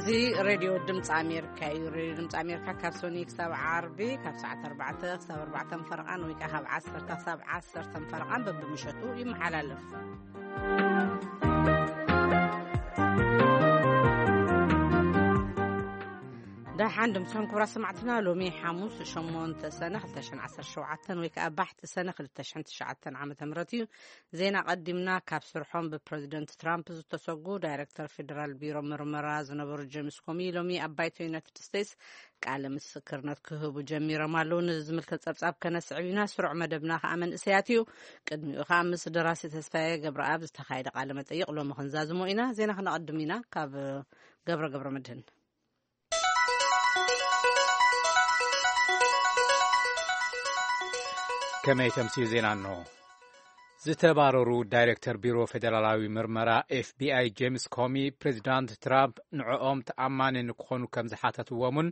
እዚ ሬድዮ ድምፂ ኣሜሪካ እዩ። ሬድዮ ድምፂ ኣሜሪካ ካብ ሶኒ ክሳብ ዓርቢ ካብ ሰዓት ኣርባዕተ ክሳብ ኣርባዕተ ፈረቓን ወይ ከዓ ካብ ዓሰርተ ክሳብ ዓሰርተ ፈረቓን በብምሸቱ ይመሓላለፍ። ደሓን ድምፅኹም ክቡራት ሰማዕትና፣ ሎሚ ሓሙስ ሸሞንተ ሰነ ክልተ ሽሕን ዓሰርተ ሸውዓተን ወይ ከዓ ባሕቲ ሰነ ክልተ ሽሕን ትሽዓተን ዓመተ ምህረት እዩ። ዜና ቀዲምና ካብ ስርሖም ብፕረዚደንት ትራምፕ ዝተሰጉ ዳይሬክተር ፌደራል ቢሮ ምርመራ ዝነበሩ ጄምስ ኮሚ ሎሚ ኣብ ባይቶ ዩናይትድ ስቴትስ ቃለ ምስክርነት ክህቡ ጀሚሮም ኣለዉ። ነዚ ዝምልከት ጸብጻብ ከነስዕብ ኢና። ስሩዕ መደብና ከኣ መንእሰያት እዩ። ቅድሚኡ ከኣ ምስ ደራሲ ተስፋዬ ገብረኣብ ዝተኻየደ ቃለ መጠይቕ ሎሚ ክንዛዝሞ ኢና። ዜና ክነቐድም ኢና። ካብ ገብረ ገብረ መድህን። ከመይ ተምስዩ ዜና እንሆ። ዝተባረሩ ዳይሬክተር ቢሮ ፌደራላዊ ምርመራ ኤፍቢኣይ ጄምስ ኮሚ፣ ፕሬዚዳንት ትራምፕ ንዕኦም ተኣማኒ ንክኾኑ ከም ዝሓተትዎምን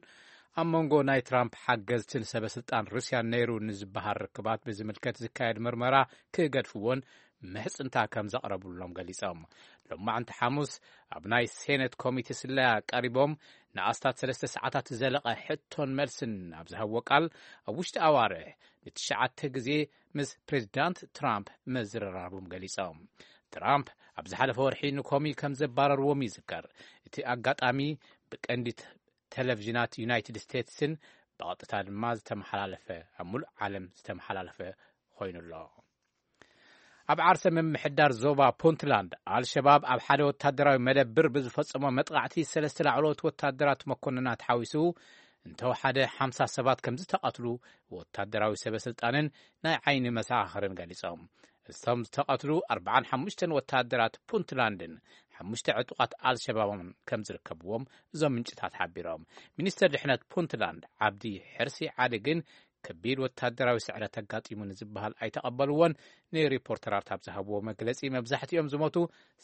ኣብ መንጎ ናይ ትራምፕ ሓገዝትን ሰበ ስልጣን ሩስያን ነይሩ ንዝበሃል ርክባት ብዝምልከት ዝካየድ ምርመራ ክገድፍዎን ምሕጽንታ ከም ዘቕረብሎም ገሊጾም። ሎማዕንቲ ሓሙስ ኣብ ናይ ሴኔት ኮሚቴ ስለያ ቀሪቦም ንኣስታት ሰለስተ ሰዓታት ዝዘለቐ ሕቶን መልስን ኣብ ዝሃብዎ ቃል፣ ኣብ ውሽጢ ኣዋርሕ ንትሽዓተ ግዜ ምስ ፕሬዚዳንት ትራምፕ ምዝርራቦም ገሊጾም። ትራምፕ ኣብ ዝሓለፈ ወርሒ ንኮሚ ከም ዘባረርዎም ይዝከር። እቲ ኣጋጣሚ ብቀንዲ ተ-፣ ቴሌቪዥናት ዩናይትድ ስቴትስን ብቐጥታ ድማ ዝተመሓላለፈ፣ ኣብ ሙሉእ ዓለም ዝተመሓላለፈ ኮይኑ ኣሎ። ኣብ ዓርሰ ምምሕዳር ዞባ ፑንትላንድ፣ ኣልሸባብ ኣብ ሓደ ወታደራዊ መደብር ብዝፈጸሞ መጥቃዕቲ ሰለስተ ላዕለዎት ወታደራት መኮንናት ሓዊሱ እንተወሓደ ሓምሳ ሰባት ከም ዝተቐትሉ ወታደራዊ ሰበ ስልጣንን ናይ ዓይኒ መሰኻኽርን ገሊጾም። እቶም ዝተቐትሉ ኣርብዓን ሓሙሽተን ወታደራት ፑንትላንድን ሓሙሽተ ዕጡቓት ኣልሸባብን ከም ዝርከብዎም እዞም ምንጭታት ሓቢሮም። ሚኒስተር ድሕነት ፑንትላንድ ዓብዲ ሕርሲ ዓሊ ግን ከቢድ ወታደራዊ ስዕረት ኣጋጢሙ ንዝበሃል ኣይተቐበልዎን። ንሪፖርተራት ኣብ ዝሃብዎ መግለጺ፣ መብዛሕትኦም ዝሞቱ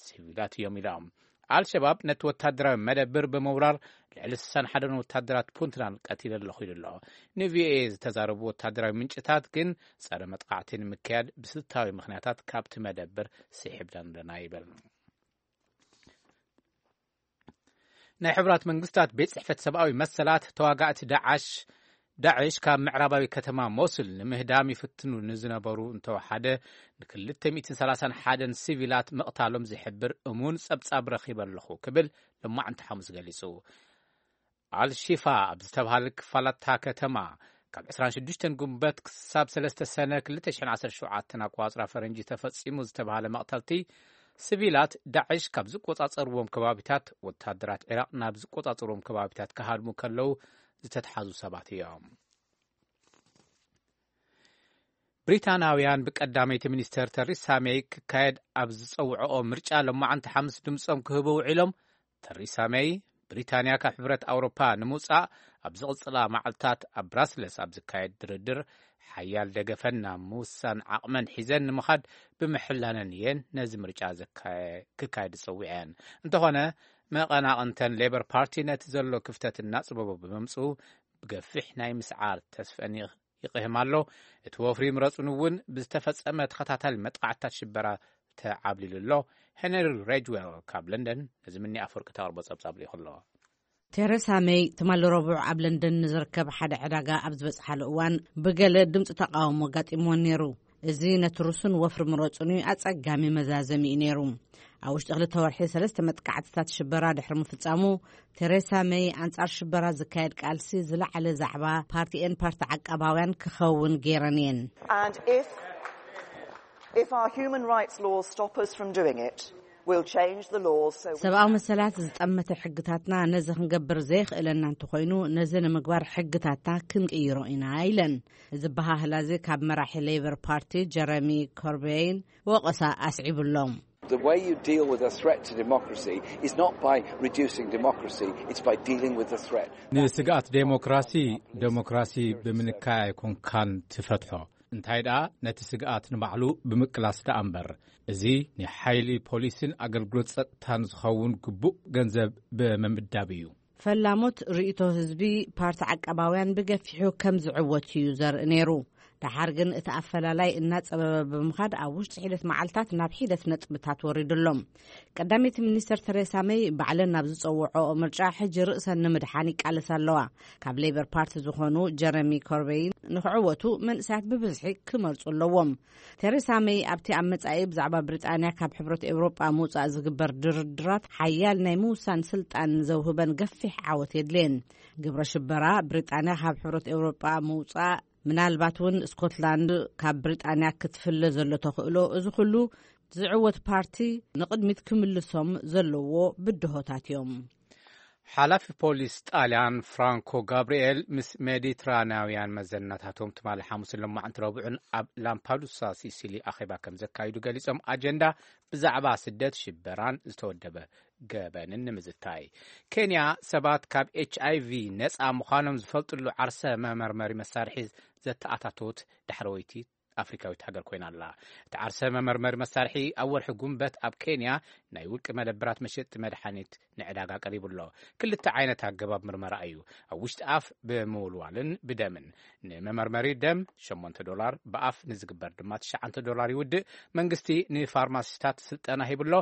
ሲቪላት እዮም ኢሎም። ኣልሸባብ ነቲ ወታደራዊ መደብር ብምውራር ልዕሊ ስሳን ሓደን ወታደራት ፑንትላንድ ቀቲለ ኣለኹ ኢሉ ኣሎ። ንቪኦኤ ዝተዛረቡ ወታደራዊ ምንጭታት ግን፣ ጸረ መጥቃዕቲ ንምክያድ ብስልታዊ ምኽንያታት ካብቲ መደብር ስሒብና ኣለና ይብል። ናይ ሕቡራት መንግስታት ቤት ጽሕፈት ሰብኣዊ መሰላት፣ ተዋጋእቲ ዳዓሽ፣ ዳዕሽ ካብ ምዕራባዊ ከተማ ሞሱል ንምህዳም ይፍትኑ ንዝነበሩ እንተወሓደ ንክልተ ሚእትን ሰላሳን ሓደን ሲቪላት ምቕታሎም ዝሕብር እሙን ጸብጻብ ረኺበ ኣለኹ ክብል ሎማዕንቲ ሓሙስ ገሊጹ። ኣልሺፋ ኣብ ዝተብሃለ ክፋላታ ከተማ ካብ ዕስራን ሽዱሽተን ጉንበት ክሳብ ሰለስተ ሰነ ክልተ ሽሕን ዓሰርተ ሸውዓተን ኣቋጽራ ፈረንጂ ተፈጺሙ ዝተብሃለ መቕተልቲ፣ ሲቪላት ዳዕሽ ካብ ዝቆጻጸርዎም ከባቢታት ወታደራት ዒራቕ ናብ ዝቆጻጸርዎም ከባቢታት ክሃድሙ ከለዉ ዝተትሓዙ ሰባት እዮም። ብሪታናውያን ብቀዳመይቲ ሚኒስተር ተሪሳ ሜይ ክካየድ ኣብ ዝጸውዕኦ ምርጫ ሎማዓንቲ ሓሙስ ድምጾም ክህቡ ውዒሎም። ተሪሳ ሜይ ብሪታንያ ካብ ሕብረት ኣውሮፓ ንምውጻእ ኣብ ዝቕጽላ መዓልታት ኣብ ብራስለስ ኣብ ዝካየድ ድርድር ሓያል ደገፈን ናብ ምውሳን ዓቕመን ሒዘን ንምኻድ ብምሕላነን እየን ነዚ ምርጫ ዘካየ-፣ ክካየድ ጸዊዐን። እንተኾነ መቐናቕንተን ሌበር ፓርቲ ነቲ ዘሎ ክፍተት እናጽበቦ ብምምጽኡ ብገፊሕ ናይ ምስዓር ተስፈን ይቕህም ኣሎ። እቲ ወፍሪ ምረጹን እውን ብዝተፈጸመ ተኸታታሊ መጥቃዕትታት ሽበራ ተዓብሊሉ ኣሎ። ሄነሪ ሬጅዌል ካብ ለንደን ነዚ ምኒ ኣፈወርቂ ተቕርቦ ጸብጻብ ልኢኹ ኣሎ። ቴረሳ ሜይ ትማሊ ረቡዕ ኣብ ለንደን ንዝርከብ ሓደ ዕዳጋ ኣብ ዝበጽሓሉ እዋን ብገለ ድምፂ ተቃውሞ ኣጋጢምዎን ነይሩ። እዚ ነቲ ርሱን ወፍሪ ምረጹን ኣጸጋሚ መዛዘሚ እዩ ነይሩ። ኣብ ውሽጢ ክልተ ወርሒ ሰለስተ መጥቃዕትታት ሽበራ ድሕሪ ምፍጻሙ፣ ቴሬሳ ሜይ ኣንጻር ሽበራ ዝካየድ ቃልሲ ዝለዓለ ዛዕባ ፓርቲኤን ፓርቲ ዓቃባውያን ክኸውን ገይረን እየን። And if, if our human rights laws stop us from doing it, we'll change the laws so we ሰብኣዊ መሰላት ዝጠመተ ሕግታትና ነዚ ክንገብር ዘየኽእለና እንተኾይኑ፣ ነዚ ንምግባር ሕግታትና ክንቅይሮ ኢና ኢለን። እዚ በሃህላ እዚ ካብ መራሒ ሌበር ፓርቲ ጀረሚ ኮርቤይን ወቐሳ ኣስዒቡሎም። The way you deal with a threat to democracy is not by reducing democracy, it's by dealing with the threat. ንስግኣት ዴሞክራሲ፣ ዴሞክራሲ ብምንካይ ኣይኮንካን ትፈትሖ። እንታይ ደኣ፣ ነቲ ስግኣት ንባዕሉ ብምቅላስ ደኣ እምበር። እዚ ንሓይሊ ፖሊስን ኣገልግሎት ጸጥታን ዝኸውን ግቡእ ገንዘብ ብምምዳብ እዩ። ፈላሞት ርእይቶ ህዝቢ ፓርቲ ዓቃባውያን ብገፊሑ ከም ዝዕወት እዩ ዘርኢ ነይሩ። ደሓር ግን እቲ ኣፈላላይ እናጸበበ ብምኻድ ኣብ ውሽጢ ሒደት መዓልታት ናብ ሒደት ነጥብታት ወሪዱ ኣሎ። ቀዳመይቲ ሚኒስተር ተሬሳ መይ ባዕለን ናብ ዝጸውዖኦ ምርጫ ሕጂ ርእሰን ንምድሓን ይቃለሳ ኣለዋ። ካብ ሌበር ፓርቲ ዝኾኑ ጀረሚ ኮርበይን ንኽዕወቱ መንእሰያት ብብዝሒ ክመርጹ ኣለዎም። ተሬሳ መይ ኣብቲ ኣብ መጻኢ ብዛዕባ ብሪጣንያ ካብ ሕብረት ኤውሮጳ ምውጻእ ዝግበር ድርድራት ሓያል ናይ ምውሳን ስልጣን ዘውህበን ገፊሕ ዓወት የድልየን። ግብረ ሽበራ፣ ብሪጣንያ ካብ ሕብረት ኤውሮጳ ምውጻእ፣ ምናልባት እውን ስኮትላንድ ካብ ብሪጣንያ ክትፍለ ዘሎ ተኽእሎ፣ እዚ ኩሉ ዝዕወት ፓርቲ ንቕድሚት ክምልሶም ዘለዎ ብድሆታት እዮም። ሓላፊ ፖሊስ ጣልያን ፍራንኮ ጋብርኤል ምስ ሜዲትራንያውያን መዘናታቶም ትማሊ ሓሙስን ሎማዕንቲ ረቡዕን ኣብ ላምፓዱሳ ሲሲሊ ኣኼባ ከም ዘካይዱ ገሊጾም፣ ኣጀንዳ ብዛዕባ ስደት፣ ሽበራን ዝተወደበ ገበንን ንምዝታይ። ኬንያ ሰባት ካብ ኤች ኣይ ቪ ነጻ ምዃኖም ዝፈልጥሉ ዓርሰ መመርመሪ መሳርሒ ዘተኣታተወት ዳሕረወይቲ ኣፍሪካዊት ሃገር ኮይና ኣላ። እቲ ዓርሰ መመርመሪ መሳርሒ ኣብ ወርሒ ጉንበት ኣብ ኬንያ ናይ ውልቂ መደብራት መሸጢ መድሓኒት ንዕዳጋ ቀሪቡ ኣሎ። ክልተ ዓይነት ኣገባብ ምርመራ እዩ። ኣብ ውሽጢ ኣፍ ብምውልዋልን ብደምን። ንመመርመሪ ደም ሸሞንተ ዶላር፣ ብኣፍ ንዝግበር ድማ ትሽዓተ ዶላር ይውድእ። መንግስቲ ንፋርማሲስታት ስልጠና ሂብሎ።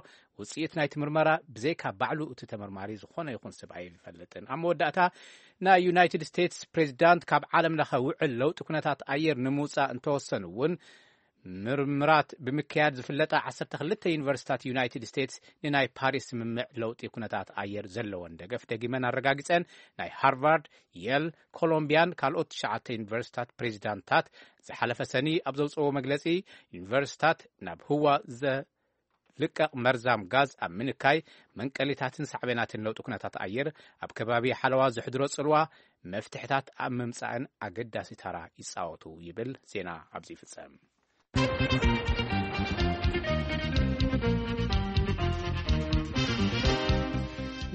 ውፅኢት ናይቲ ምርመራ ብዘይካ ባዕሉ እቲ ተመርማሪ ዝኾነ ይኹን ሰብ ኣይፈልጥን። ኣብ መወዳእታ፣ ናይ ዩናይትድ ስቴትስ ፕሬዚዳንት ካብ ዓለም ለኸ ውዕል ለውጢ ኩነታት ኣየር ንምውፃእ እንተወሰኑ እውን፣ ምርምራት ብምክያድ ዝፍለጣ ዓሰርተ ክልተ ዩኒቨርሲታት ዩናይትድ ስቴትስ ንናይ ፓሪስ ስምምዕ ለውጢ ኩነታት ኣየር ዘለወን ደገፍ ደጊመን ኣረጋጊጸን። ናይ ሃርቫርድ፣ የል፣ ኮሎምቢያን ካልኦት ትሽዓተ ዩኒቨርሲታት ፕሬዚዳንታት ዝሓለፈ ሰኒ ኣብ ዘውፅዎ መግለፂ፣ ዩኒቨርሲታት ናብ ህዋ ዘልቀቕ መርዛም ጋዝ ኣብ ምንካይ፣ መንቀሊታትን ሳዕቤናትን ለውጢ ኩነታት ኣየር ኣብ ከባቢ ሓለዋ ዘሕድሮ ጽልዋ መፍትሕታት ኣብ ምምጻእን ኣገዳሲ ተራ ይጻወቱ ይብል። ዜና ኣብዚ ይፍጸም።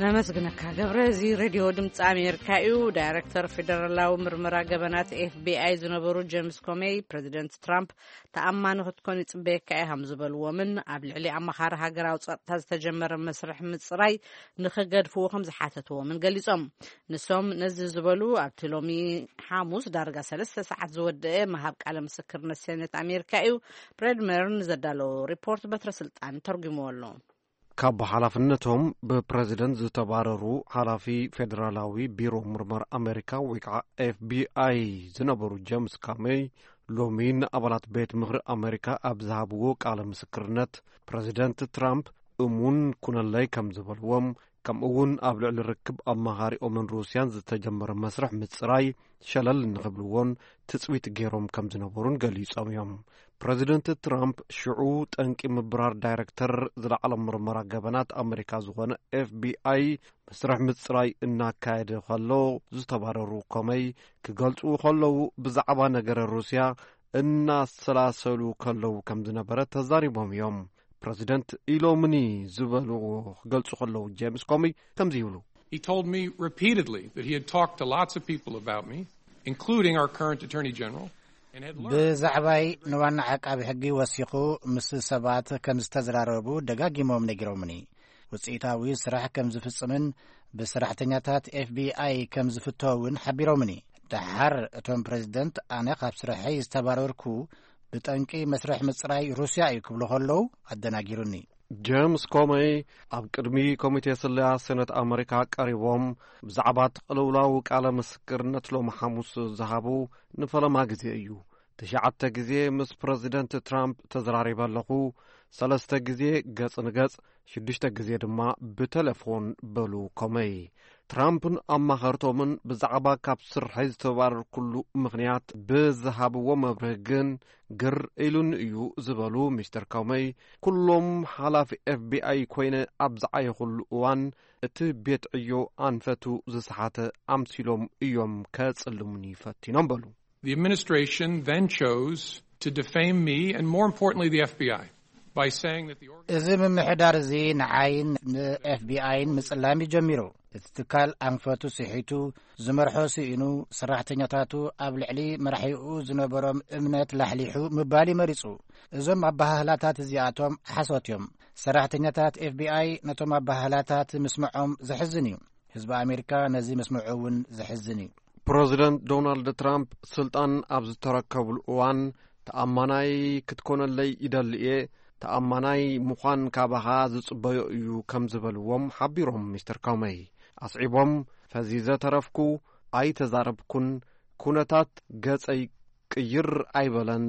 ነመስግነካ ገብረ። እዚ ሬድዮ ድምፂ ኣሜሪካ እዩ። ዳይሬክተር ፌደራላዊ ምርመራ ገበናት ኤፍቢኣይ ዝነበሩ ጄምስ ኮሜይ፣ ፕሬዚደንት ትራምፕ ተኣማኒ ክትኮን ይጽበየካ እየ ከም ዝበልዎምን ኣብ ልዕሊ ኣማኻሪ ሃገራዊ ጸጥታ ዝተጀመረ መስርሕ ምጽራይ ንኽገድፍዎ ከም ዝሓተትዎምን ገሊጾም። ንሶም ነዚ ዝበሉ ኣብቲ ሎሚ ሓሙስ ዳርጋ ሰለስተ ሰዓት ዝወደአ ምሃብ ቃለ ምስክርነት ሴኔት ኣሜሪካ እዩ። ብሬድ መርን ዘዳለዎ ሪፖርት በትረ ስልጣን ተርጉምዎ ኣሎ። ካብ ሓላፍነቶም ብፕረዚደንት ዝተባረሩ ሓላፊ ፌደራላዊ ቢሮ ምርመራ ኣሜሪካ ወይ ከዓ ኤፍቢኣይ ዝነበሩ ጄምስ ካሜይ ሎሚ ንኣባላት ቤት ምኽሪ ኣሜሪካ ኣብ ዝሃብዎ ቃለ ምስክርነት፣ ፕረዚደንት ትራምፕ እሙን ኩነለይ ከም ዝበልዎም፣ ከምኡ እውን ኣብ ልዕሊ ርክብ ኣማኻሪኦምን ሩስያን ዝተጀመረ መስርሕ ምጽራይ ሸለል ንኽብልዎን ትጽቢት ገይሮም ከም ዝነበሩን ገሊጾም እዮም። ፕረዚደንት ትራምፕ ሽዑ ጠንቂ ምብራር ዳይረክተር ዝለዓለ ምርመራ ገበናት ኣሜሪካ ዝኾነ ኤፍቢኣይ መስርሕ ምጽራይ እናካየደ ከሎ ዝተባረሩ ኮመይ ክገልጹ ከለዉ፣ ብዛዕባ ነገረ ሩስያ እናሰላሰሉ ከለዉ ከም ዝነበረ ተዛሪቦም እዮም። ፕረዚደንት ኢሎምኒ ዝበልዎ ክገልጹ ከለዉ፣ ጄምስ ኮሚ ከምዚ ይብሉ። He told me repeatedly that he had talked to lots of people about me, including our current Attorney General, and had learned ብዛዕባይ ንዋና ዓቃቢ ሕጊ ወሲኹ ምስ ሰባት ከም ዝተዘራረቡ ደጋጊሞም ነጊሮምኒ። ውፅኢታዊ ስራሕ ከም ዝፍጽምን ብሰራሕተኛታት ኤፍቢኣይ ከም ዝፍቶ እውን ሓቢሮምኒ። ደሓር እቶም ፕሬዚደንት ኣነ ካብ ስርሐይ ዝተባረርኩ ብጠንቂ መስርሕ ምጽራይ ሩስያ እዩ ክብሉ ከለዉ ኣደናጊሩኒ። ጄምስ ኮመይ ኣብ ቅድሚ ኮሚቴ ስለያ ሴነት ኣመሪካ ቀሪቦም ብዛዕባ እቲ ቅልውላው ቃለ ምስክርነት ሎሚ ሓሙስ ዝሃቡ ንፈለማ ግዜ እዩ። ትሽዓተ ግዜ ምስ ፕረዚደንት ትራምፕ ተዘራሪበ ኣለኹ፣ ሰለስተ ግዜ ገጽ ንገጽ፣ ሽዱሽተ ግዜ ድማ ብተሌፎን በሉ ኮመይ። ትራምፕን ኣማኸርቶምን ብዛዕባ ካብ ስርሐይ ዝተባረርኩሉ ምኽንያት ብዝሃብዎ መብርሂ ግን ግር ኢሉኒ እዩ ዝበሉ ሚስተር ኮመይ፣ ኩሎም ሓላፊ ኤፍቢኣይ ኮይነ ኣብ ዝዓየኹሉ እዋን እቲ ቤት ዕዮ ኣንፈቱ ዝሰሓተ ኣምሲሎም እዮም ከጽልሙኒ ፈቲኖም በሉ። The administration then chose to defame me and, more importantly, the FBI by saying that the organ- እዚ ምምሕዳር እዚ ንዓይን ንኤፍቢኣይን ምጽላም እዩ ጀሚሩ። እቲ ትካል ኣንፈቱ ስሒቱ፣ ዝመርሖ ስኢኑ፣ ሰራሕተኛታቱ ኣብ ልዕሊ መራሒኡ ዝነበሮም እምነት ላሕሊሑ ምባል እዩ መሪጹ። እዞም ኣበሃህላታት እዚኣቶም ሓሶት እዮም። ሰራሕተኛታት ኤፍቢኣይ ነቶም ኣበሃህላታት ምስምዖም ዘሕዝን እዩ። ህዝቢ ኣሜሪካ ነዚ ምስምዑ እውን ዘሕዝን እዩ። ፕረዚደንት ዶናልድ ትራምፕ ስልጣን ኣብ ዝተረከብሉ እዋን፣ "ተኣማናይ ክትኮነለይ ይደሊ እየ፣ ተኣማናይ ምዃን ካባኻ ዝጽበዮ እዩ" ከም ዝበልዎም ሓቢሮም። ሚስተር ኮመይ ኣስዒቦም፣ "ፈዚዘ ተረፍኩ፣ ኣይተዛረብኩን፣ ኩነታት ገጸይ ቅይር ኣይበለን፣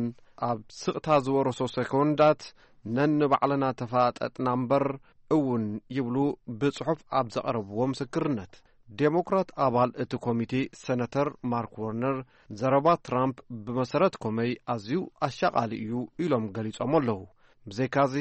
ኣብ ስቕታ ዝወረሶ ሰኮንዳት ነንባዕልና ተፋጠጥና እምበር" እውን ይብሉ ብጽሑፍ ኣብ ዘቐረብዎ ምስክርነት። ዴሞክራት ኣባል እቲ ኮሚቴ ሰነተር ማርክ ወርነር፣ ዘረባ ትራምፕ ብመሰረት ኮመይ ኣዝዩ ኣሻቓሊ እዩ ኢሎም ገሊጾም ኣለዉ። ብዘይካዚ፣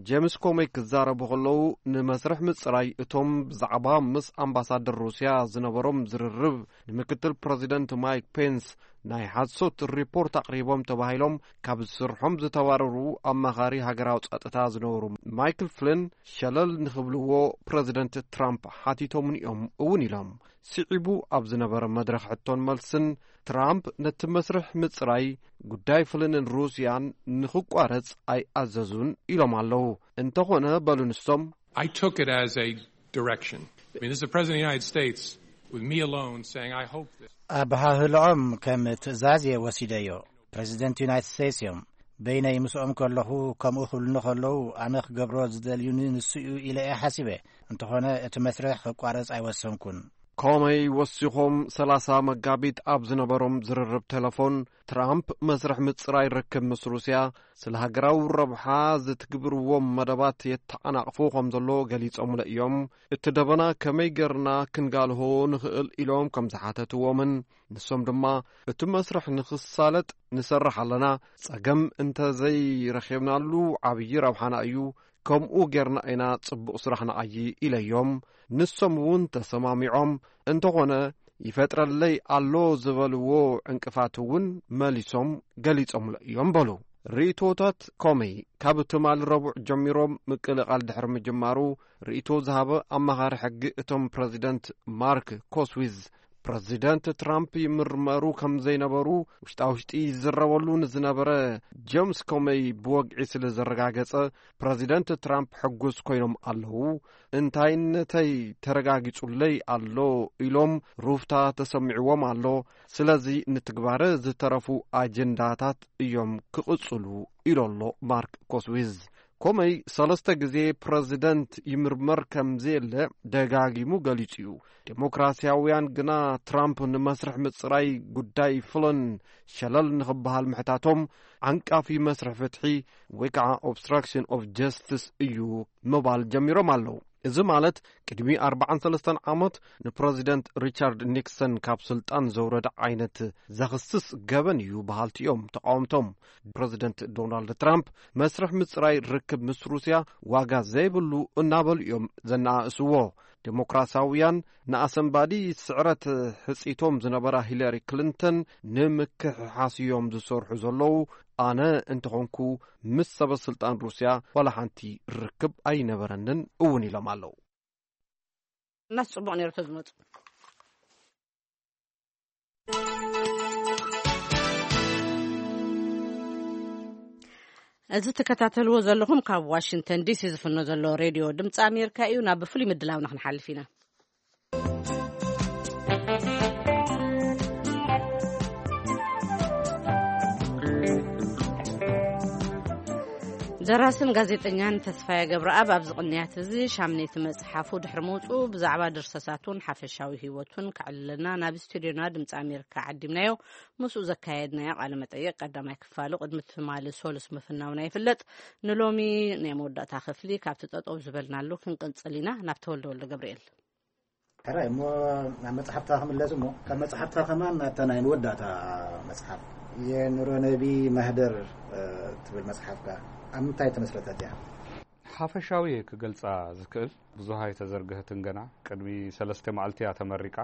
ጄምስ ኮመይ ክዛረቡ ከለዉ፣ ንመስርሕ ምጽራይ እቶም ብዛዕባ ምስ ኣምባሳደር ሩስያ ዝነበሮም ዝርርብ ንምክትል ፕረዚደንት ማይክ ፔንስ ናይ ሓሶት ሪፖርት ኣቕሪቦም ተባሂሎም ካብ ስርሖም ዝተባረሩ ኣማኻሪ ሃገራዊ ጸጥታ ዝነበሩ ማይክል ፍሊን ሸለል ንኽብልዎ ፕረዚደንት ትራምፕ ሓቲቶምኒ እዮም እውን ኢሎም። ስዒቡ ኣብ ዝነበረ መድረኽ ሕቶን መልስን፣ ትራምፕ ነቲ መስርሕ ምጽራይ ጉዳይ ፍሊንን ሩስያን ንኽቋረጽ ኣይኣዘዙን ኢሎም ኣለዉ። እንተኾነ፣ በሉ ንሶም፣ I took it as a direction. I mean, this is the President of the United States with me alone saying, "I hope this." ኣበሃህልኦም ከም ትእዛዝ እየ ወሲደዮ። ፕረዚደንት ዩናይትድ ስቴትስ እዮም። በይነይ ምስኦም ከለኹ ከምኡ ክብሉኒ ከለዉ፣ ኣነ ክገብሮ ዝደልዩኒ ንሱ እዩ ኢለ እየ ሓሲበ። እንተኾነ፣ እቲ መስርሕ ክቋረጽ ኣይወሰንኩን። ኮመይ ወሲኾም፣ ሰላሳ መጋቢት ኣብ ዝነበሮም ዝርርብ ቴሌፎን፣ ትራምፕ መስርሕ ምጽራይ ርክብ ምስ ሩስያ፣ ስለ ሃገራዊ ረብሓ ዝትግብርዎም መደባት የተዓናቕፎ ከም ዘሎ ገሊጾምለ እዮም። እቲ ደበና ከመይ ገርና ክንጋልሆ ንኽእል ኢሎም ከም ዝሓተትዎምን፣ ንሶም ድማ፣ "እቲ መስርሕ ንኽሳለጥ ንሰርሕ ኣለና፣ ጸገም እንተ ዘይረኺብናሉ ዓብዪ ረብሓና እዩ፣ ከምኡ ጌርና ኢና ጽቡቕ ስራሕ ንዓዪ" ኢለዮም። ንሶም እውን ተሰማሚዖም፣ "እንተኾነ ይፈጥረለይ ኣሎ" ዝበልዎ ዕንቅፋት እውን መሊሶም ገሊጾምሎ እዮም በሉ። ርእይቶታት ኮመይ ካብ ትማሊ ረቡዕ ጀሚሮም ምቅልቓል ድሕሪ ምጅማሩ፣ ርእይቶ ዝሃበ ኣማኻሪ ሕጊ እቶም ፕረዚደንት ማርክ ኮስዊዝ፣ ፕረዚደንት ትራምፕ ይምርመሩ ከም ዘይነበሩ ውሽጣ ውሽጢ ይዝረበሉ ንዝነበረ ጀምስ ኮመይ ብወግዒ ስለ ዘረጋገጸ፣ ፕረዚደንት ትራምፕ ሕጉስ ኮይኖም ኣለዉ። "እንታይነተይ ተረጋጊጹለይ ኣሎ" ኢሎም ሩፍታ ተሰሚዕዎም ኣሎ። "ስለዚ ንትግባረ ዝተረፉ ኣጀንዳታት እዮም ክቕጽሉ" ኢሉ ኣሎ ማርክ ኮስዊዝ። ኮመይ ሰለስተ ግዜ ፕረዚደንት ይምርመር ከም ዘየለ ደጋጊሙ ገሊጹ እዩ። ዴሞክራሲያውያን ግና ትራምፕ ንመስርሕ ምጽራይ ጉዳይ ፍሎን ሸለል ንኽበሃል ምሕታቶም፣ "ዓንቃፊ መስርሕ ፍትሒ ወይ ከዓ obstruction of justice እዩ" ምባል ጀሚሮም ኣለዉ። እዚ ማለት፣ ቅድሚ ኣርባዓን ሰለስተን ዓመት ንፕረዚደንት ሪቻርድ ኒክሰን ካብ ስልጣን ዘውረደ ዓይነት ዘኽስስ ገበን እዩ በሃልቲ እዮም ተቃወምቶም። ፕረዚደንት ዶናልድ ትራምፕ፣ "መስርሕ ምጽራይ ርክብ ምስ ሩስያ ዋጋ ዘይብሉ" እናበሉ እዮም ዘነኣእስዎ። ዴሞክራሲያውያን ንኣሰንባዲ ስዕረት ሕጺቶም ዝነበራ ሂለሪ ክሊንተን ንምክሕሓስ እዮም ዝሰርሑ ዘለዉ። ኣነ እንተኾንኩ፣ ምስ ሰበ ስልጣን ሩስያ ዋላ ሓንቲ ርክብ ኣይነበረንን እውን ኢሎም ኣለዉ። እናስ ጽቡቕ ነይሩ ተዝመጹ። እዚ ትከታተልዎ ዘለኹም ካብ ዋሽንግተን ዲሲ ዝፍኖ ዘሎ ሬድዮ ድምፂ ኣሜሪካ እዩ። ናብ ፍሉይ ምድላውና ክንሓልፍ ኢና። ደራስን ጋዜጠኛን ተስፋዬ ገብረኣብ ኣብዚ ቅንያት እዚ ሻምነይቲ መጽሓፉ ድሕሪ ምውጽኡ ብዛዕባ ድርሰታቱን ሓፈሻዊ ህይወቱን ከዕልለና ናብ ስቱድዮና ድምፂ ኣሜሪካ ዓዲምናዮ። ምስኡ ዘካየድናዮ ቃለ መጠይቕ ቀዳማይ ክፋሉ ቅድሚ ትማሊ ሶሉስ ምፍናውና ይፍለጥ። ንሎሚ ናይ መወዳእታ ክፍሊ ካብቲ ጠጠው ዝበልናሉ ክንቅንጽል ኢና። ናብ ተወልደ ወልደ ገብርኤል። ሕራይ እሞ ናብ መጽሓፍታ ክምለስ እሞ፣ ካብ መጽሓፍታ ከማን ናብታ ናይ መወዳእታ መጽሓፍ የኑሮ ነቢ ማህደር፣ እ፣ ትብል መጽሓፍካ ኣብ ምንታይ ተመስረተት እያ? ሓፈሻዊ እየ ክገልጻ ዝክእል። ብዙሃ ኣይተዘርግሀትን ገና። ቅድሚ ሰለስተ መዓልቲ እያ ተመሪቃ።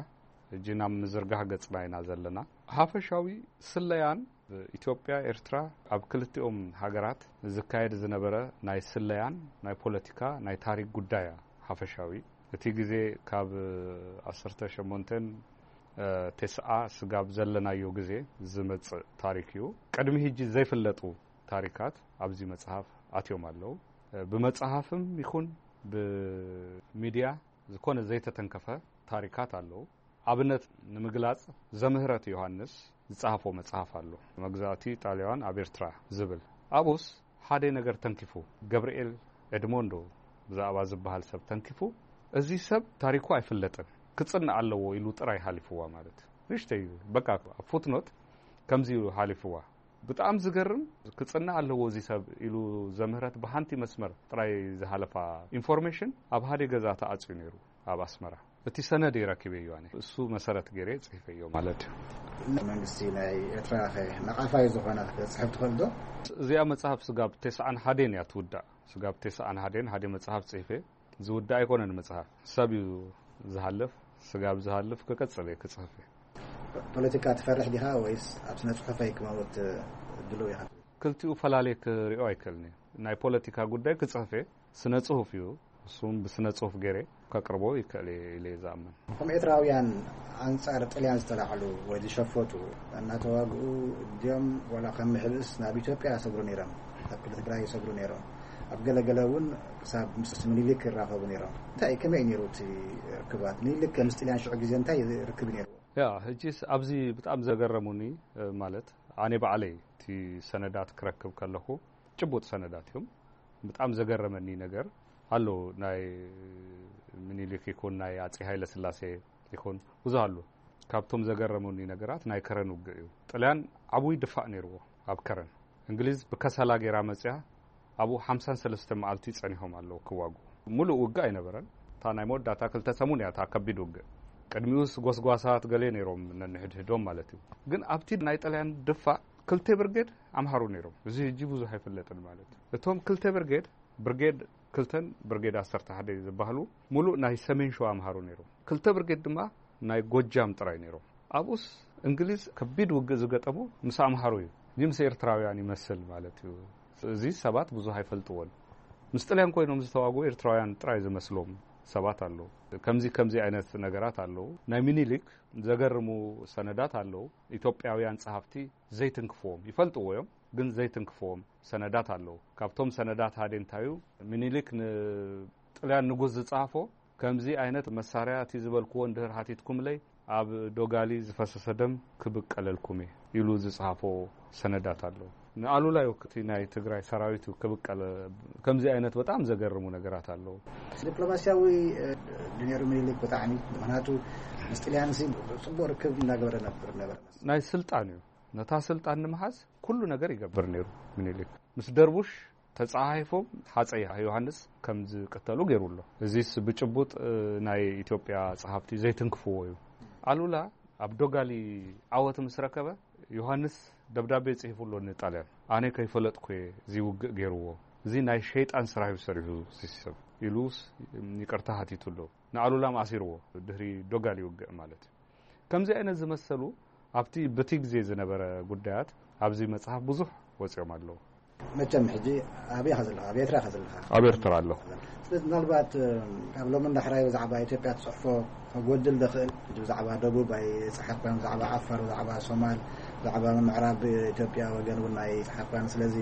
ሕጂ ናብ ምዝርጋሕ ገጽና ኢና ዘለና። ሓፈሻዊ ስለያን ኢትዮጵያ፣ ኤርትራ፣ ኣብ ክልቲኦም ሃገራት ዝካየድ ዝነበረ ናይ ስለያን ናይ ፖለቲካ ናይ ታሪክ ጉዳይ እያ ሓፈሻዊ። እቲ ግዜ ካብ ዓሰርተ ሸሞንተን፣ እ፣ ተስዓ ስጋብ ዘለናዮ ግዜ ዝመጽእ ታሪክ እዩ። ቅድሚ ሕጂ ዘይፍለጡ ታሪካት ኣብዚ መጽሓፍ ኣትዮም ኣለዉ። እ፣ ብመጽሓፍም ይኹን ብሚድያ ዝኾነ ዘይተተንከፈ ታሪካት ኣለዉ። ኣብነት ንምግላጽ ዘምህረት ዮሃንስ ዝጸሃፎ መጽሓፍ ኣሎ፣ መግዛእቲ ጣልያን ኣብ ኤርትራ ዝብል። ኣብኡስ ሓደ ነገር ተንኪፉ፣ ገብርኤል ኤድሞንዶ ብዛዕባ ዝበሃል ሰብ ተንኪፉ፣ እዚ ሰብ ታሪኩ ኣይፍለጥን፣ ክጽናዕ ኣለዎ ኢሉ ጥራይ ሓሊፍዋ ማለት እዩ። ንእሽተይ በቃ ኣብ ፉትኖት ከምዚ እዩ ሓሊፍዋ። ብጣዕሚ ዝገርም፣ ክጽናዕ ኣለዎ እዚ ሰብ ኢሉ ዘምህረት ብሓንቲ መስመር ጥራይ ዝሃለፋ ኢንፎርሜሽን ኣብ ሓደ ገዛ ተዓጽዩ ነይሩ ኣብ ኣስመራ። እቲ ሰነድ ረኪበዮ ኣነ። እሱ መሰረት ገይረ ጽሒፈዮ ማለት እዩ። መንግስቲ ናይ ኤርትራ ከ ነቓፋይ ዝኾነ ክጽሕፍ ትኽእል ዶ? እዚኣ መጽሓፍ ስጋብ ተስዓን ሓደን እያ ትውዳእ። ስጋብ ተስዓን ሓደን ሓደ መጽሓፍ ጽሒፈ። ዝውዳእ ኣይኮነን መጽሓፍ። ሰብ እዩ ዝሃልፍ። ስጋብ ዝሃልፍ ክቀጽል እየ ክጽሕፍ እየ። ፖለቲካ ትፈርሕ ዲኻ ወይስ ኣብ ስነ ጽሑፈይ ክመውት ድሉው ኢኻ? ክልቲኡ ፈላልየ ክሪኦ ኣይክእልን እየ። ናይ ፖለቲካ ጉዳይ ክጽሕፍ እየ። ስነ ጽሁፍ እዩ። እሱም ብስነ ጽሁፍ ገይረ ከቅርቦ ይክእል እየ ኢለ እየ ዝኣምን። ከም ኤርትራውያን ኣንጻር ጥልያን ዝተላዕሉ ወይ ዝሸፈቱ እናተዋግኡ ድዮም ዋላ ከም ምሕብእስ ናብ ኢትዮጵያ ይሰግሩ ነይሮም፣ ናብ ክልል ትግራይ ይሰግሩ ነይሮም። ኣብ ገለገለ እውን ክሳብ ምስ ምኒልክ ይራኸቡ ነይሮም። እንታይ ከመይ ነይሩ እቲ ርክባት? ምኒልክ ምስ ጥልያን ሽዑ ግዜ እንታይ ርክብ ነይሩ? ያ ሕጂስ ኣብዚ ብጣዕሚ ዘገረሙኒ ማለት ኣነ ባዕለይ እቲ ሰነዳት ክረክብ ከለኹ ጭቡጥ ሰነዳት እዮም። ብጣዕሚ ዘገረመኒ ነገር ኣሎ። ናይ ምኒልክ ይኹን ናይ ኣጼ ሃይለ ስላሴ ይኹን ብዙ ኣሎ። ካብቶም ዘገረሙኒ ነገራት ናይ ከረን ውግእ እዩ። ጥልያን ዓብይ ድፋዕ ነይርዎ ኣብ ከረን። እንግሊዝ ብከሰላ ገይራ መጽያ ኣብኡ ሓምሳን ሰለስተ መዓልቲ ጸኒሖም ኣለዉ ክዋጉ። ሙሉእ ውግእ ኣይነበረን። እታ ናይ መወዳእታ ክልተ ሰሙን እያ እታ ከቢድ ውግእ። ቅድሚኡስ ጎስጓሳት ገሌ ነይሮም ነንሕድሕዶም ማለት እዩ። ግን ኣብቲ ናይ ጥልያን ድፋዕ ክልተ ብርጌድ ኣምሃሩ ነይሮም። እዚ ሕጂ ብዙሕ ኣይፍለጥን ማለት እዩ። እቶም ክልተ ብርጌድ፣ ብርጌድ ክልተን ብርጌድ ዓሰርተ ሓደ ዝበሃሉ ሙሉእ ናይ ሰሜን ሸዋ ኣምሃሩ ነይሮም። ክልተ ብርጌድ ድማ ናይ ጎጃም ጥራይ ነይሮም። ኣብኡስ እንግሊዝ ከቢድ ውግእ ዝገጠሞ ምስ ኣምሃሩ እዩ። እዚ ምስ ኤርትራውያን ይመስል ማለት እዩ። እዚ ሰባት ብዙሕ ኣይፈልጥዎን። ምስ ጥልያን ኮይኖም ዝተዋጉ ኤርትራውያን ጥራይ ዝመስሎም ሰባት ኣለዉ። ከምዚ ከምዚ ዓይነት ነገራት ኣለዉ። ናይ ሚኒሊክ ዘገርሙ ሰነዳት ኣለዉ። ኢትዮጵያውያን ጸሃፍቲ ዘይትንክፍዎም ይፈልጥዎ እዮም፣ ግን ዘይትንክፍዎም ሰነዳት ኣለዉ። ካብቶም ሰነዳት ሓደ እንታዩ፣ ሚኒሊክ ንጥልያን ንጉስ ዝጸሃፎ፣ ከምዚ ዓይነት መሳርያ እቲ ዝበልክዎ እንድህር ሃቲትኩምለይ፣ ኣብ ዶጋሊ ዝፈሰሰ ደም ክብቀለልኩም እየ ኢሉ ዝጸሃፎ ሰነዳት ኣለዉ። ንኣሉላ እዩ እቲ ናይ ትግራይ ሰራዊት እዩ ክብቀለ፣ ከምዚ ዓይነት በጣም ዘገርሙ ነገራት ኣለዉ። ዲፕሎማሲያዊ እ፣ ድኔሩ ሚኒሊክ ብጣዕሚ፣ ምኽንያቱ ምስ ጥልያን ሲ ጽቡቕ ርክብ እናገበረ ነብር ነበረ። ናይ ስልጣን እዩ። ነታ ስልጣን ንምሓዝ ኩሉ ነገር ይገብር ነይሩ ምኒልክ። ምስ ደርቡሽ ተጸሓሒፎም ሃጸይ ዮሃንስ ከም ዝቅተሉ ገይሩ ኣሎ። እዚስ ብጭቡጥ እ፣ ናይ ኢትዮጵያ ጸሓፍቲ ዘይትንክፍዎ እዩ። ኣሉላ ኣብ ዶጋሊ ዓወት ምስ ረከበ ዮሃንስ ደብዳቤ ጽሒፉ ኣሎ ንጣልያን። ኣነ ከይፈለጥኩ እየ እዚ ውግእ ገይርዎ። እዚ ናይ ሸይጣን ስራሕ እዩ ሰሪሑ እዚ ሰብ ኢሉስ ይቅርታ ሃቲቱ ኣሎ። ንኣሉላ ማእሲርዎ ድሕሪ ዶጋሊ ውግእ ማለት እዩ። ከምዚ ዓይነት ዝመሰሉ ኣብቲ በቲ ግዜ ዝነበረ ጉዳያት ኣብዚ መጽሓፍ ብዙሕ ወጺኦም ኣለዉ። መቸም ሕጂ ኣበይ ኢኻ ዘለኻ? ኣብ ኤርትራ ኢኻ ዘለኻ? ኣብ ኤርትራ ኣለኹ። ስለዚ ምናልባት ካብ ሎሚ እንዳሕራይ ብዛዕባ ኢትዮጵያ ትጽሕፎ ከጎድል ዝኽእል ሕጂ ብዛዕባ ደቡብ ኣይጸሓፍካን፣ ብዛዕባ ዓፋር፣ ብዛዕባ ሶማል፣ ብዛዕባ ምዕራብ ኢትዮጵያ ወገን እውን ኣይጸሓፍካን። ስለዚ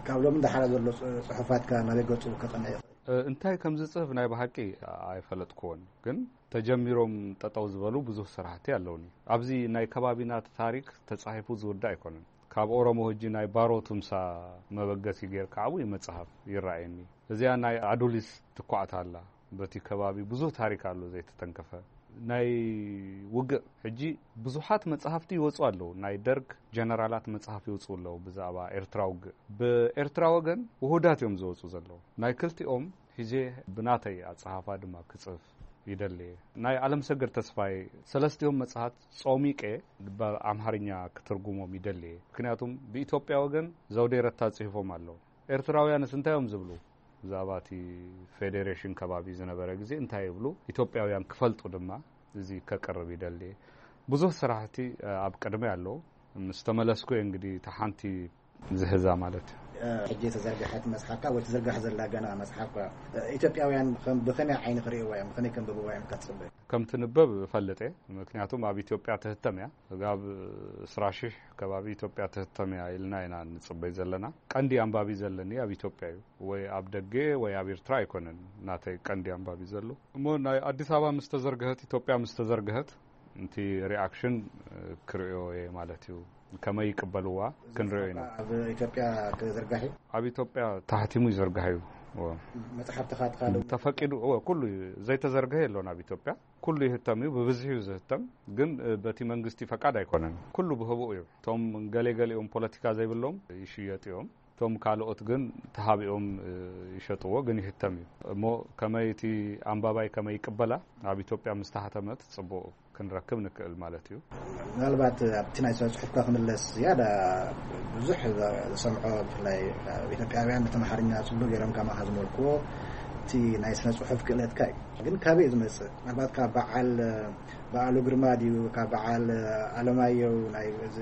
ካብ ሎሚ እንዳሕራይ ዘሎ ጽ- ጽሑፋትካ ናበይ ገጹ ከቕንዕ ይኽእል? እ፣ እንታይ ከም ዝጽሕፍ ናይ ብሓቂ ኣይፈለጥኩዎን፣ ግን ተጀሚሮም ጠጠው ዝበሉ ብዙሕ ስራሕቲ ኣለውኒ። ኣብዚ ናይ ከባቢና ታሪክ ተጻሒፉ ዝውዳእ ኣይኮነን። ካብ ኦሮሞ ህጂ ናይ ባሮ ቱምሳ መበገሲ ጌርካ ዓብዪ መጽሓፍ ይረኣየኒ። እዚኣ ናይ ኣዱሊስ ትኳዕታ ኣላ። በቲ ከባቢ ብዙሕ ታሪክ ኣሎ ዘይተተንከፈ። ናይ ውግእ ሕጂ ብዙሓት መጽሓፍቲ ይወጹ ኣለዉ። ናይ ደርግ ጀነራላት መጽሓፍ ይወጹ ኣለዉ ብዛዕባ ኤርትራ ውግእ። ብኤርትራ ወገን ውሁዳት እዮም ዝወጹ ዘለዉ። ናይ ክልቲኦም ሒዜ ብናተይ ኣጸሓፋ ድማ ክጽፍ ይደሊ እየ። ናይ ኣለምሰገድ ተስፋይ ሰለስቲኦም መጽሓት ጾሚቄ ብኣምሓርኛ ክትርጉሞም ይደሊ እየ። ምክንያቱም ብኢትዮጵያ ወገን ዘውዴ ረታ ጽሒፎም ኣለዉ። ኤርትራውያንስ እንታይ እዮም ዝብሉ? ብዛዕባ እቲ ፌዴሬሽን ከባቢ ዝነበረ ግዜ እንታይ ይብሉ? ኢትዮጵያውያን ክፈልጡ ድማ እዚ ከቅርብ ይደሊ እየ። ብዙሕ ስራሕቲ ኣብ ቅድሚ ኣለዉ። ምስ ተመለስኩ እየ እንግዲህ እታ ሓንቲ ዝህዛ ማለት እዩ። ሕጂ ተዘርግሐት መጽሓፍካ ወይ ትዝርጋሕ ዘላ ገና መጽሓፍካ ኢትዮጵያውያን ከም ብኸመይ ዓይኒ ክርእይዋ እዮም፣ ብኸመይ ከንብብዋ እዮም ኢልካ ትጽበ? ከም ትንበብ እፈልጥ እየ። ምክንያቱም ኣብ ኢትዮጵያ ትህተም እያ። ስጋብ ዕስራ ሺሕ ከባቢ ኢትዮጵያ ትህተም እያ ኢልና ኢና ንጽበይ ዘለና። ቀንዲ ኣንባቢ ዘለኒ ኣብ ኢትዮጵያ እዩ። ወይ ኣብ ደገ ወይ ኣብ ኤርትራ ኣይኮነን ናተይ ቀንዲ ኣንባቢ ዘሎ። እሞ ናይ ኣዲስ ኣበባ ምስ ተዘርግሀት፣ ኢትዮጵያ ምስ ተዘርግሀት፣ እቲ ሪኣክሽን ክርእዮ እየ ማለት እዩ። ከመይ ይቅበልዋ ክንርእዮ ኢና። ኣብ ኢትዮጵያ ክዝርጋሕ እዩ። ኣብ ኢትዮጵያ ተሓቲሙ ይዝርጋሕ እዩ። መጽሓፍትኻ ትኻል ተፈቂዱ እወ፣ ኩሉ እዩ። ዘይተዘርግሐ የሎን ኣብ ኢትዮጵያ። ኩሉ ይህተም እዩ፣ ብብዝሒ እዩ ዝህተም። ግን በቲ መንግስቲ ፈቃድ ኣይኮነን። ኩሉ ብህቡእ እዩ። እቶም ገሌ ገሊኦም ፖለቲካ ዘይብሎም ይሽየጡ እዮም። እቶም ካልኦት ግን ተሃቢኦም ይሸጥዎ፣ ግን ይህተም እዩ። እሞ ከመይ እቲ ኣንባባይ ከመይ ይቅበላ፣ ኣብ ኢትዮጵያ ምስ ተሓተመት ጽቡቕ ክንረክብ ንክእል ማለት እዩ። ምናልባት ኣብቲ ናይ ስነ ጽሑፍካ ክምለስ ዝያዳ ብዙሕ ዝሰምዖ፣ ብፍላይ ኢትዮጵያውያን ነቲ ኣምሓርኛ ጽቡቅ ገይሮም ከማኻ ዝመልክዎ እቲ ናይ ስነ ጽሑፍ ክእለትካ እዩ። ግን ካበይ ዝመጽእ? ምናልባት ካብ በዓል በዓሉ ግርማ ድዩ፣ ካብ በዓል ኣለማየሁ ናይ እዚ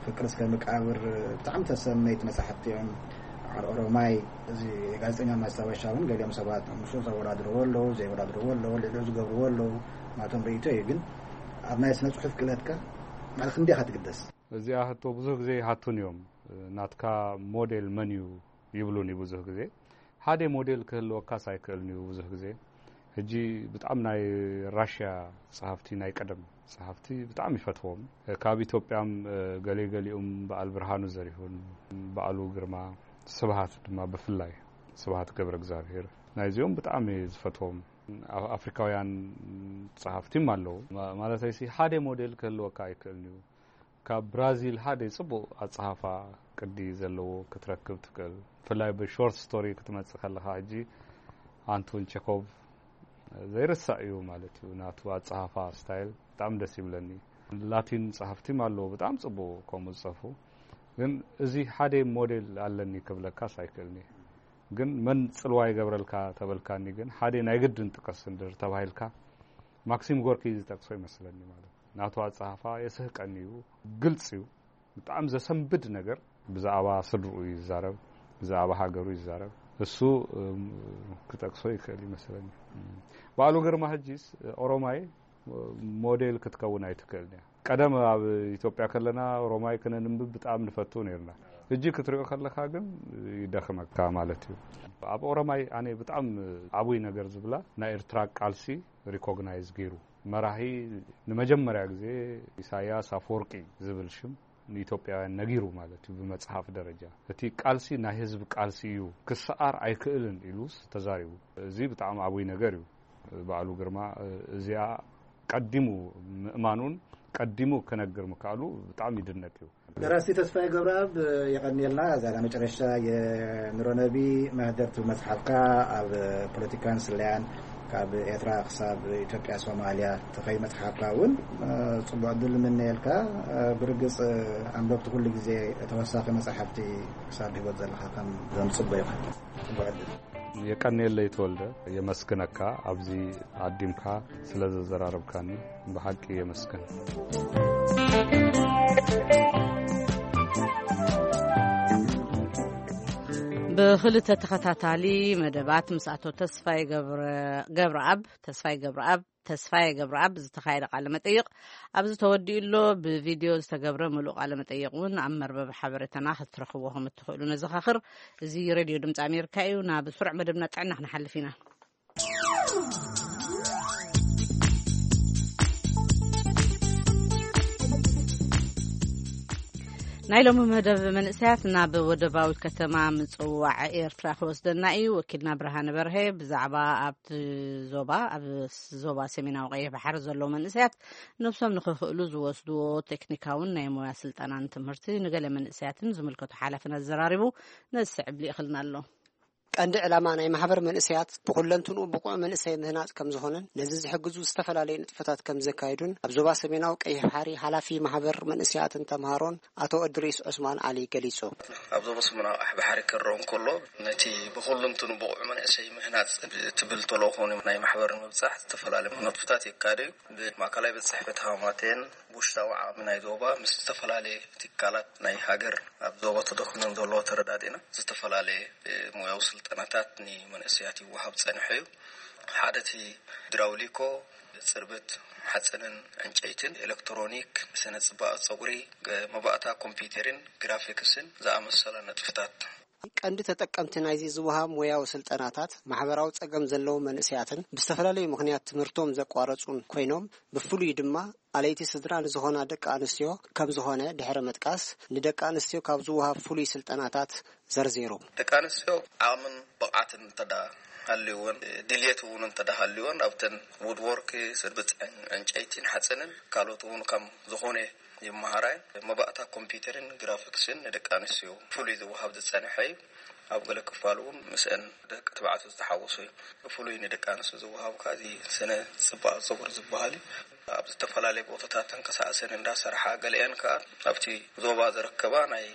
ፍቅር እስከ መቃብር ብጣዕሚ ተሰመይቲ መጻሕፍቲ እዮም። በዓል ኦሮማይ እዚ ጋዜጠኛ ማስታወሻ እውን ገሊኦም ሰባት ምስኡ ዘወዳድርዎ ኣለዉ፣ ዘይወዳድርዎ ኣለዉ፣ ልዕሊኡ ዝገብርዎ ኣለዉ። ናቶም ርእይቶ እዩ። ግን ኣብ ናይ ስነ ጽሑፍ ክእለትካ ማለት ክንደይ ኢኻ ትግደስ? እዚኣ ሕቶ ብዙሕ ግዜ ይሓቱን እዮም። ናትካ ሞዴል መን እዩ ይብሉኒ ብዙሕ ግዜ። ሓደ ሞዴል ክህልወካስ ኣይክእልን እዩ ብዙሕ ግዜ። ሕጂ ብጣዕሚ ናይ ራሽያ ጸሓፍቲ፣ ናይ ቀደም ጸሓፍቲ ብጣዕሚ ይፈትዎም። ካብ ኢትዮጵያም ገሌ ገሊኡም በዓል ብርሃኑ ዘሪሁን፣ በዓሉ ግርማ፣ ስብሃት ድማ ብፍላይ፣ ስብሃት ገብረ እግዚኣብሔር፣ ናይዚኦም ብጣዕሚ ዝፈትዎም። ኣፍሪካውያን ጸሓፍቲም ኣለዉ። ማለተይሲ ሓደ ሞዴል ክህልወካ ኣይክእልን እዩ። ካብ ብራዚል ሓደ ጽቡቕ ኣጸሓፋ ቅዲ ዘለዎ ክትረክብ ትክእል። ብፍላይ ብሾርት ስቶሪ ክትመጽእ ከለኻ ሕጂ ኣንቶን ቸኮቭ ዘይርሳእ እዩ ማለት እዩ። ናቱ ኣጸሓፋ ስታይል ብጣዕሚ ደስ ይብለኒ። ላቲን ጸሓፍቲም ኣለዉ ብጣዕሚ ጽቡቕ ከምኡ ዝጸፉ። ግን እዚ ሓደ ሞዴል ኣለኒ ክብለካስ ኣይክእልኒ። ግን መን ጽልዋ ይገብረልካ ተበልካኒ ግን ሓደ ናይ ግድን ጥቀስ እንድር ተባሂልካ ማክሲም ጎርኪ ዝጠቅሶ ይመስለኒ ማለት ናቱ ኣጸሓፋ የስህቀኒ እዩ። ግልጽ እዩ። ብጣዕሚ ዘሰንብድ ነገር ብዛዕባ ስድርኡ ይዛረብ፣ ብዛዕባ ሃገሩ ይዛረብ። እሱ ክጠቅሶ ይክእል ይመስለኒ። በዓሉ ግርማ ሕጂስ ኦሮማይ ሞዴል ክትከውን ኣይትክእልን እያ። ቀደም ኣብ ኢትዮጵያ ከለና ኦሮማይ ክነንብብ ብጣዕሚ ንፈቱ ነርና። ሕጂ ክትሪኦ ከለካ ግን ይደኽመካ ማለት እዩ። ኣብ ኦሮማይ ኣነ ብጣዕሚ ዓብይ ነገር ዝብላ ናይ ኤርትራ ቃልሲ ሪኮግናይዝ ገይሩ መራሒ ንመጀመርያ ግዜ ኢሳያስ ኣፈወርቂ ዝብል ሽም ንኢትዮጵያውያን ነጊሩ ማለት እዩ። ብመጽሓፍ ደረጃ እቲ ቃልሲ ናይ ህዝቢ ቃልሲ እዩ፣ ክሰኣር ኣይክእልን ኢሉስ ተዛሪቡ። እዚ ብጣዕሚ ዓብይ ነገር እዩ። በዓሉ ግርማ እዚኣ ቀዲሙ ምእማኑን ቀዲሙ ክነግር ምክኣሉ ብጣዕሚ ይድነቅ እዩ። ደራሲ ተስፋዬ ገብረኣብ የቐንየልና። እዛ ናይ መጨረሻ የኑሮ ነቢ መህደር ትብል መጽሓፍካ ኣብ ፖለቲካን ስለያን ካብ ኤርትራ ክሳብ ኢትዮጵያ ሶማልያ ትኸይድ መጽሓፍካ እውን ጽቡቕ ዕድል ንምነየልካ። ብርግጽ ኣንበብቲ ኩሉ ግዜ ተወሳኺ መጽሓፍቲ ክሳብ ህይወት ዘለኻ ከም ዘምጽቦ ይኽእል። ጽቡቕ ዕድል። የቀንየለይ ተወልደ፣ የመስግነካ ኣብዚ ዓዲምካ ስለ ዘዘራረብካኒ ብሓቂ የመስግን። ብክልተ ተኸታታሊ መደባት ምስ ኣቶ ተስፋይ ገብረ- ገብረኣብ ተስፋይ ገብረኣብ ተስፋዬ ገብረኣብ ዝተኻየደ ቃለ መጠይቕ ኣብዚ ተወዲኡ ኣሎ። ብቪድዮ ዝተገብረ ምሉእ ቃለ መጠይቕ እውን ኣብ መርበብ ሓበሬታና ክትረኽብዎ ከም እትኽእሉ ነዘኻኽር። እዚ ሬድዮ ድምፂ ኣሜሪካ እዩ። ናብ ስሩዕ መደብና ጥዕና ክንሓልፍ ኢና። ናይ ሎሚ መደብ መንእሰያት ናብ ወደባዊት ከተማ ምጽዋዕ ኤርትራ ክወስደና እዩ። ወኪልና ብርሃነ በርሀ ብዛዕባ ኣብቲ ዞባ ኣብ ዞባ ሰሜናዊ ቀይሕ ባሕሪ ዘለዉ መንእሰያት ነብሶም ንኽኽእሉ ዝወስድዎ ቴክኒካውን ናይ ሞያ ስልጠናን ትምህርቲ ንገለ መንእሰያትን ዝምልከቱ ሓላፍን ኣዘራሪቡ ነዚ ስዕብ ልኢኽልና ኣሎ። ቀንዲ ዕላማ ናይ ማሕበር መንእሰያት ብኩለንትንኡ ብቑዕ መንእሰይ ምህናጽ ከም ዝኾነን ነዚ ዝሕግዙ ዝተፈላለዩ ንጥፈታት ከም ዘካየዱን ኣብ ዞባ ሰሜናዊ ቀይሕ ባሕሪ ሓላፊ ማሕበር መንእሰያትን ተምሃሮን ኣቶ እድሪስ ዑስማን ዓሊ ገሊጹ። ኣብ ዞባ ሰሜናዊ ቀይሕ ባሕሪ ክረኦ እንከሎ ነቲ ብኩለንትኑ ብቑዕ መንእሰይ ምህናጽ ትብል ተልእኾ ናይ ማሕበር ንምብጻሕ ዝተፈላለዩ ንጥፈታት የካየደ እዩ። ብማእከላይ ቤት ጽሕፈት ሃማቴን ብውሽጣዊ ዓቕሚ ናይ ዞባ ምስ ዝተፈላለየ ትካላት ናይ ሃገር ኣብ ዞባ ተደኺኖም ዘለዎ ተረዳዲእና ዝተፈላለየ ሞያዊ ስልጠናታት ንመንእሰያት ይወሃብ ጸኒሑ እዩ። ሓደ እቲ ድራውሊኮ፣ ጽርበት ሓጺንን ዕንጨይትን፣ ኤሌክትሮኒክ፣ ስነ ጽባቐ ጸጉሪ፣ መባእታ ኮምፒውተርን ግራፊክስን ዝኣመሰላ ንጥፍታት ቀንዲ ተጠቀምቲ ናይዚ ዝወሃብ ሞያዊ ስልጠናታት ማሕበራዊ ጸገም ዘለዎም መንእሰያትን ብዝተፈላለዩ ምኽንያት ትምህርቶም ዘቋረጹን ኮይኖም፣ ብፍሉይ ድማ ኣለይቲ ስድራ ንዝኾና ደቂ ኣንስትዮ ከም ዝኾነ ድሕሪ ምጥቃስ፣ ንደቂ ኣንስትዮ ካብ ዝወሃብ ፍሉይ ስልጠናታት ዘርዚሩ። ደቂ ኣንስትዮ ዓቕምን ብቕዓትን እንተዳ ሃልይወን፣ ድልየት እውን እንተዳ ሃልይወን፣ ኣብተን ውድወርክ፣ ስርብፅ ዕን- ዕንጨይቲን ሓፂንን ካልኦት እውን ከም ዝኾነ ይመሃራ እየን። መባእታ ኮምፒውተርን ግራፊክስን ንደቂ ኣንስትዮ ፍሉይ ዝወሃብ ዝፀንሐ እዩ። ኣብ ገለ ክፋል እውን ምስአን ደቂ ተባዕትዮ ዝተሓወሱ እዩ። ፍሉይ ንደቂ ኣንስትዮ ዝወሃብ ከኣ እዚ ስነ ፅባቐ ፀጉሪ ዝበሃል እዩ። ኣብ ዝተፈላለየ ቦታታት ተንቀሳቐሰን እንዳሰርሓ፣ ገሊአን ከኣ ኣብቲ ዞባ ዝርከባ ናይ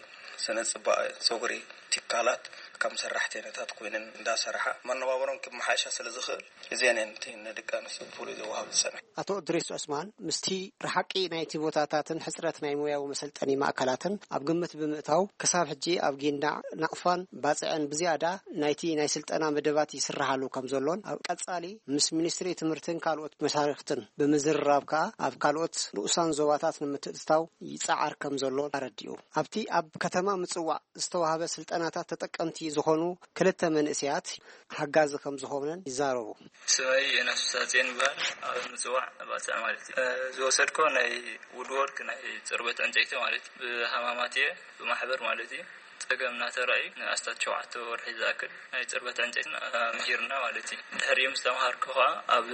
ስነ ፅባቐ ፀጉሪ ትካላት ከም ሰራሕተኛታት ኮይነን እንዳሰርሓ መነባብሮን ክመሓየሻ ስለ ዝኽእል፣ እዚአን እየን እቲ ንደቂ ኣንስትዮ ብፍሉይ ዘወሃብ ዝጸንሐ። ኣቶ እድሪስ ዑስማን ምስቲ ርሓቂ ናይቲ ቦታታትን ሕጽረት ናይ ሞያዊ መሰልጠኒ ማእከላትን ኣብ ግምት ብምእታው፣ ክሳብ ሕጂ ኣብ ጊንዳዕ፣ ናቕፋን ባጽዕን ብዝያዳ ናይቲ ናይ ስልጠና መደባት ይስርሓሉ ከም ዘሎን፣ ኣብ ቀጻሊ ምስ ሚኒስትሪ ትምህርትን ካልኦት መሻርኽትን ብምዝርራብ ከኣ ኣብ ካልኦት ንኡሳን ዞባታት ንምትእትታው ይጸዓር ከም ዘሎን ኣረዲኡ። ኣብቲ ኣብ ከተማ ምጽዋዕ ዝተዋህበ ስልጠናታት ተጠቀምቲ ዝኾኑ ክልተ መንእሰያት ሓጋዚ ከም ዝኾነን ይዛረቡ። ስመይ ዮናስ ፍስሃጽዮን ይበሃል። ኣብ ምጽዋዕ ባጽዕ ማለት እዩ። እ፣ ዝወሰድኮ ናይ ውድወርክ፣ ናይ ጽርበት ዕንጨይቲ ማለት እዩ። ብሃማማት እየ፣ ብማሕበር ማለት እዩ። ጸገም እናተራእዩ ንኣስታት ሸውዓተ ወርሒ ዝኣክል ናይ ጽርበት ዕንጨይቲ፣ እ፣ ምሂርና ማለት እዩ። ድሕሪኡ ምስ ተምሃርኩ ኸኣ ኣብ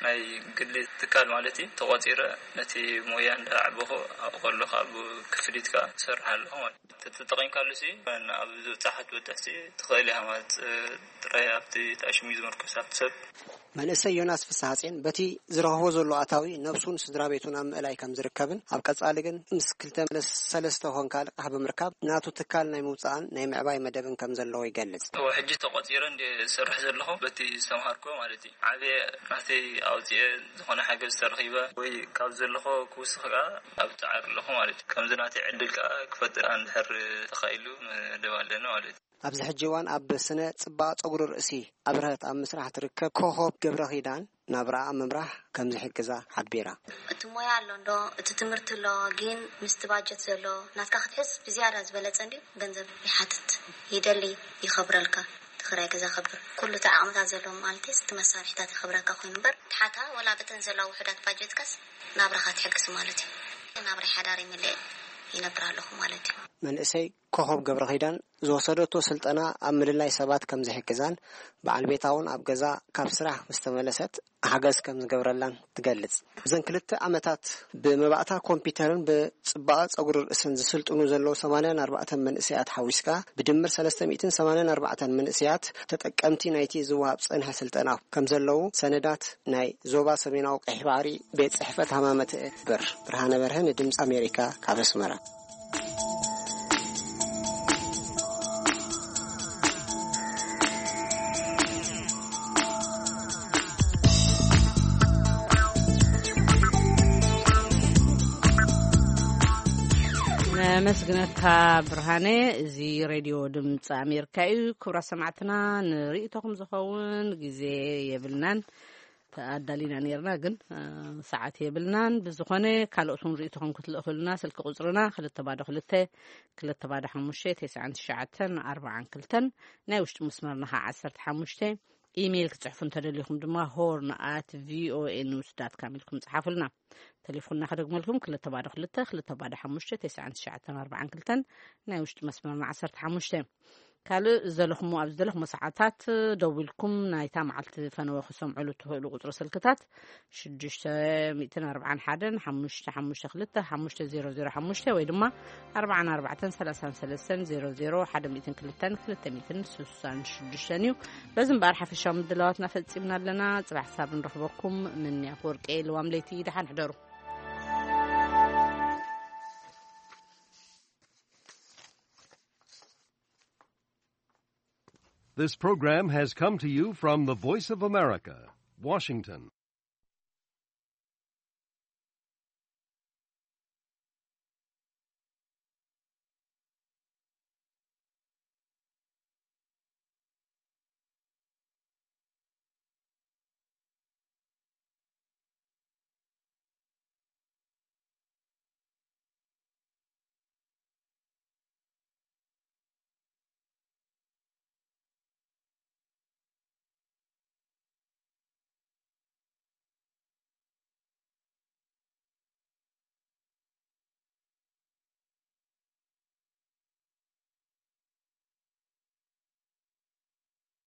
ናይ ግሊ ትካል ማለት እዩ ተቖጺረ ነቲ ሞያ እንዳዓበኹ ኣብኡ ከለኹ ኣብ ክፍሊት ከኣ እሰርሕ ኣለኹ ማለት እዩ። ተተጠቒምካሉ ሲ ኣብ ዝበጻሓት ክትበጽሕ ሲ ትኽእል ኢኻ ማለት፣ እ፣ ጥራይ ኣብቲ ተኣሽሙ እዩ ዝምርኮስ ኣብቲ ሰብ። መንእሰይ ዮናስ ፍስሃጼን በቲ ዝረኽቦ ዘሎ ኣታዊ ነብሱን ስድራ ቤቱን ኣብ ምእላይ ከም ዝርከብን ኣብ ቀጻሊ ግን ምስ ክልተ ሰለስተ ኮንካ ልቃሕ ብምርካብ ናቱ ትካል ናይ ምውጻእን ናይ ምዕባይ መደብን ከም ዘለዎ ይገልጽ። እወ፣ ሕጂ ተቖጺረ እንደ ዝሰርሕ ዘለኹ በቲ ዝተምሃርኩ ማለት እዩ። ዓብየ ናተይ ኣውፅኤ ዝኾነ ሓገዝ ተረኺበ ወይ ካብ ዘለኹ ክውስኽ ከኣ ኣብ ጻዕሪ ኣለኹ ማለት እዩ። ከምዚ ናተይ ዕድል ከኣ ክፈጥር እንድሕር ተኻኢሉ መደብ ኣለና ማለት እዩ። ኣብዚ ሕጂ እዋን ኣብ ስነ ጽባቐ ጸጉሪ ርእሲ ኣብርሀት ኣብ ምስራሕ ትርከብ ኮኾብ ገብረ ኪዳን ናብራኣ ኣብ ምምራሕ ከም ዝሕግዛ ሓቢራ። እቲ ሞያ ኣሎ እንዶ፣ እቲ ትምህርቲ ኣሎ፣ ግን ምስቲ ባጀት ዘሎ ናትካ ክትሕዝ ብዝያዳ ዝበለጸ እንድዩ፣ ገንዘብ ይሓትት፣ ይደሊ፣ ይኸብረልካ። እቲ ክራይ ገዛ ከብር፣ ኩሉ እቲ ዓቕምታት ዘለዎ ማለት እዩ፣ እቲ መሳርሒታት ይኸብረካ ኮይኑ እምበር፣ ትሓታ ወላ በተን ዘለዋ ውሑዳት ባጀትካስ ናብራኻ ትሕግዝ ማለት እዩ። ናብራ ሓዳር ይምልእ ይነብር ኣለኹ ማለት እዩ። መንእሰይ ኮኾብ ገብረ ኪዳን ዝወሰደቶ ስልጠና ኣብ ምልላይ ሰባት ከም ዝሕግዛን በዓል ቤታ እውን ኣብ ገዛ ካብ ስራሕ ምስ ተመለሰት ሓገዝ ከም ዝገብረላን ትገልጽ። እዘን ክልተ ዓመታት ብመባእታ ኮምፒውተርን ብጽባቐ ጸጉሪ ርእስን ዝስልጥኑ ዘለዉ ሰማንያን ኣርባዕተን መንእሰያት ሓዊስካ ብድምር ሰለስተ ሚእትን ሰማንያን ኣርባዕተን መንእሰያት ተጠቀምቲ ናይቲ ዝወሃብ ዝጸንሐ ስልጠና ከም ዘለዉ ሰነዳት ናይ ዞባ ሰሜናዊ ቀይሕ ባሕሪ ቤት ጽሕፈት ሃማመተ እበር ብርሃነ በርሀ ንድምጺ ኣሜሪካ ካብ ኣስመራ። ነመስግነካ ብርሃነ። እዚ ሬድዮ ድምፂ ኣሜሪካ እዩ። ክቡራት ሰማዕትና፣ ንርእይቶኹም ዝኸውን ግዜ የብልናን። ኣዳሊና ነርና፣ ግን፣ እ፣ ሰዓት የብልናን። ብዝኾነ፣ ካልኦት እውን ርእይቶኹም ክትልእኹልና፣ ስልኪ ቁጽርና ክልተ ባዶ ክልተ፣ ክልተ ባዶ ሓሙሽተ፣ ተስዓን ትሽዓተን ኣርባዓን ክልተን፣ ናይ ውሽጢ መስመርና ኸዓ ዓሰርተ ሓሙሽተ። ኢሜይል ክትጽሕፉ እንተደሊኹም ድማ፣ ሆርን ኣት ቪኦኤ ኒውስ ዳት ካም ኢልኩም ጽሓፉልና። ተሌፎንና ከደግመልኩም፣ ክልተ ባዶ ክልተ፣ ክልተ ባዶ ሓሙሽተ፣ ተስዓን ትሽዓተን ኣርባዓን ክልተን፣ ናይ ውሽጢ መስመርና ዓሰርተ ሓሙሽተ። ካልእ ዘለኹሞ፣ ኣብ ዝደለኹሞ ሰዓታት ደዊልኩም ናይታ መዓልቲ ፈነወ ክሰምዑሉ እትኽእሉ ቁጽሪ ስልክታት ሽዱሽተ ሚእትን ኣርባዓን ሓደን፣ ሓሙሽተ ሓሙሽተ ክልተ፣ ሓሙሽተ ዜሮ ዜሮ ሓሙሽተ ወይ ድማ ኣርባዓን ኣርባዕተን፣ ሰላሳን ሰለስተን፣ ዜሮ ዜሮ፣ ሓደ ሚእትን ክልተን፣ ክልተ ሚእትን ስሳን ሽዱሽተን እዩ። በዚ እምበኣር ሓፈሻዊ ምድላዋትና ፈጺምና ኣለና። ጽባሕ ሳብ ንረኽበኩም። ምንያ ወርቄ፣ ልዋም ለይቲ፣ ደሓን ሕደሩ። This program has come to you from the Voice of America, Washington.